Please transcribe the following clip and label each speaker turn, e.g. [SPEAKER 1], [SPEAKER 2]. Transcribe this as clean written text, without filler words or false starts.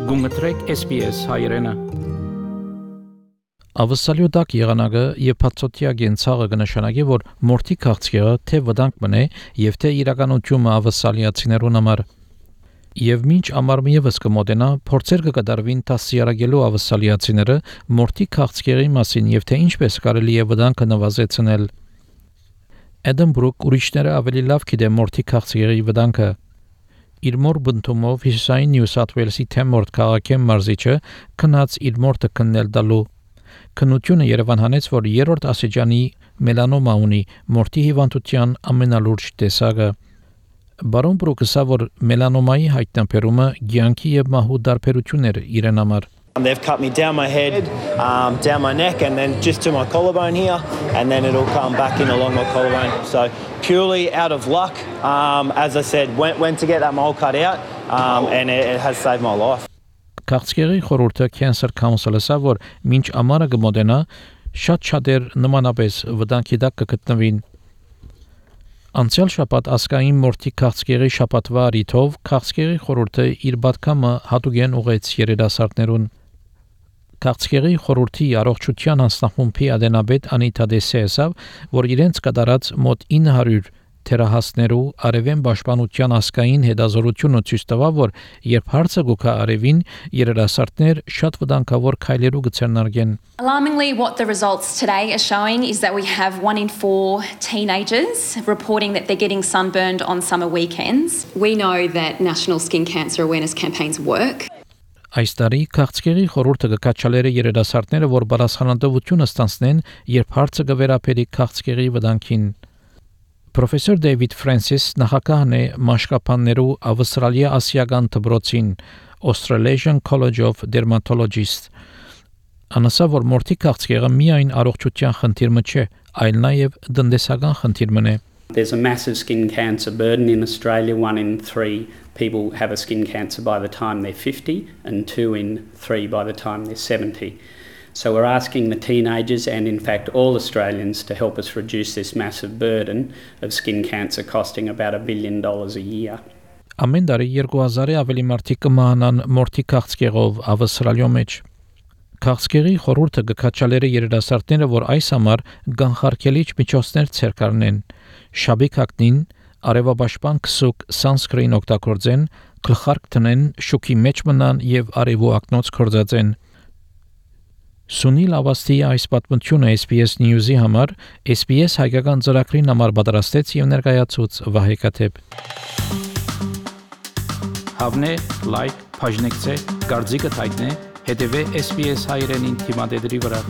[SPEAKER 1] Գումտրեք SPS հայրենը։
[SPEAKER 2] Ավսալյոդակ եղանակը եւ փածոտիա գենցաղը կնշանակի, որ մորթի քաղցկեղը թե վտանգ մնե եւ թե իրականությունը ավսալիացիներուն համար։ Եվ մինչ ամառը եւս կմոտենա, փորձեր կկատարվին տասյարակելու ավսալիացիները մորթի քաղցկեղի մասին եւ թե ինչպես կարելի է վտանգը նվազեցնել։ Էդենբրուք ուրիշները ավելի լավ գիտեն մորթի քաղցկեղի վտանգը։ Իր մոր բնթումով հյուսային Նյու Սաթ Ուելսի Թեմորթ քաղաքի մարզիչը քնած իր մորթը քննել տալու։ Քննությունը Երևան հանեց, որ երրորդ աստիճանի մելանոմա ունի մորթի հիվանդության ամենալուրջ տեսակը։ Բարոն Բրուկը ասա, որ մելանոմայի հայտնաբերումը ցանկի եւ մահու դարբերություններ իրեն համար։
[SPEAKER 3] They've cut me down my head, down my neck, and then just to my collarbone here, and then it'll come back in along my collarbone. So purely out of luck, as I said, went to get that mole cut out, and it has saved my life.
[SPEAKER 2] Քաղցկեղի խորհուրդը Cancer Council-ը ասա, որ մինչ ամառը կմոտենա, շատ-շատեր նմանապես վտանգի տակ կգտնվին։ Անցյալ շաբաթ ասկային մորթի քաղցկեղի շաբաթվա առիթով քաղցկեղի խորհուրդը իր պատգամը հատուկեն ուղեց երիտասարդներուն։ Քաղցկեղի խորհրդի առողջության հանձնախումբի ադենաբեդ Անիտա Դեսե ասավ, որ իրենց կատարած մոտ 900 թերահասներու արևեն պաշտպանության ասկային հետազորությունը ցույց տվավ, որ երբ հարցը գուքա արևին, երիտասարդներ շատ վտանգավոր քայլերու կցերնարգեն։
[SPEAKER 4] Alarmingly, what the results today are showing is that we have 1 in 4 teenagers reporting that they're getting sunburned on summer weekends. We know that national skin cancer awareness campaigns work.
[SPEAKER 2] Այս տարի քաղցկեղի խորհուրդը կկաչալերը երիտասարդները, որ բարձրանալություն ստանցնեն, երբ հարցը կվերապերի քաղցկեղի վտանգին։ Պրոֆեսոր Դեյվիդ Ֆրանսիս նախագահն է մաշկապաններու Ավստրալիա ասիական դպրոցին Australasian College of Dermatologists։ Անասա, որ մորթի քաղցկեղը միայն առողջության խնդիրը չէ, այլ նաև տնտեսական խնդիրը է։
[SPEAKER 5] There's a massive skin cancer burden in Australia. 1 in 3 people have a skin cancer by the time they're 50 and 2 in 3 by the time they're 70. So we're asking the teenagers and in fact all Australians to help us reduce this massive burden of skin cancer costing about $1 billion a year.
[SPEAKER 2] Ամեն տարի 2000-ը ավելի մարդիկ կմահանան մորթի քաղցկեղով Ավստրալիա մեջ։ Քաղցկեղի խորհուրդը կկաչալերը երիտասարդները, որ այս համար կանխարգելիչ միջոցներ ցերկարնեն։ Շաբիքակնին արևապաշտպան քսուկ sunscreen օգտագործեն, գլխարկ տնեն, շուքի մեջ մնան եւ արևու ակնոց կորձածեն։ Սունիլ Ավաստի այս պատմությունը SBS News-ի համար SBS հայկական ծրագրին համար պատրաստեց եւ ներկայացուց Վահե Կաթեփ։
[SPEAKER 1] Հավնե, լայք, բաժնեկցե, դարձիկը թայտնե, հետեւե SBS հայրենին թիմադեդի վրա։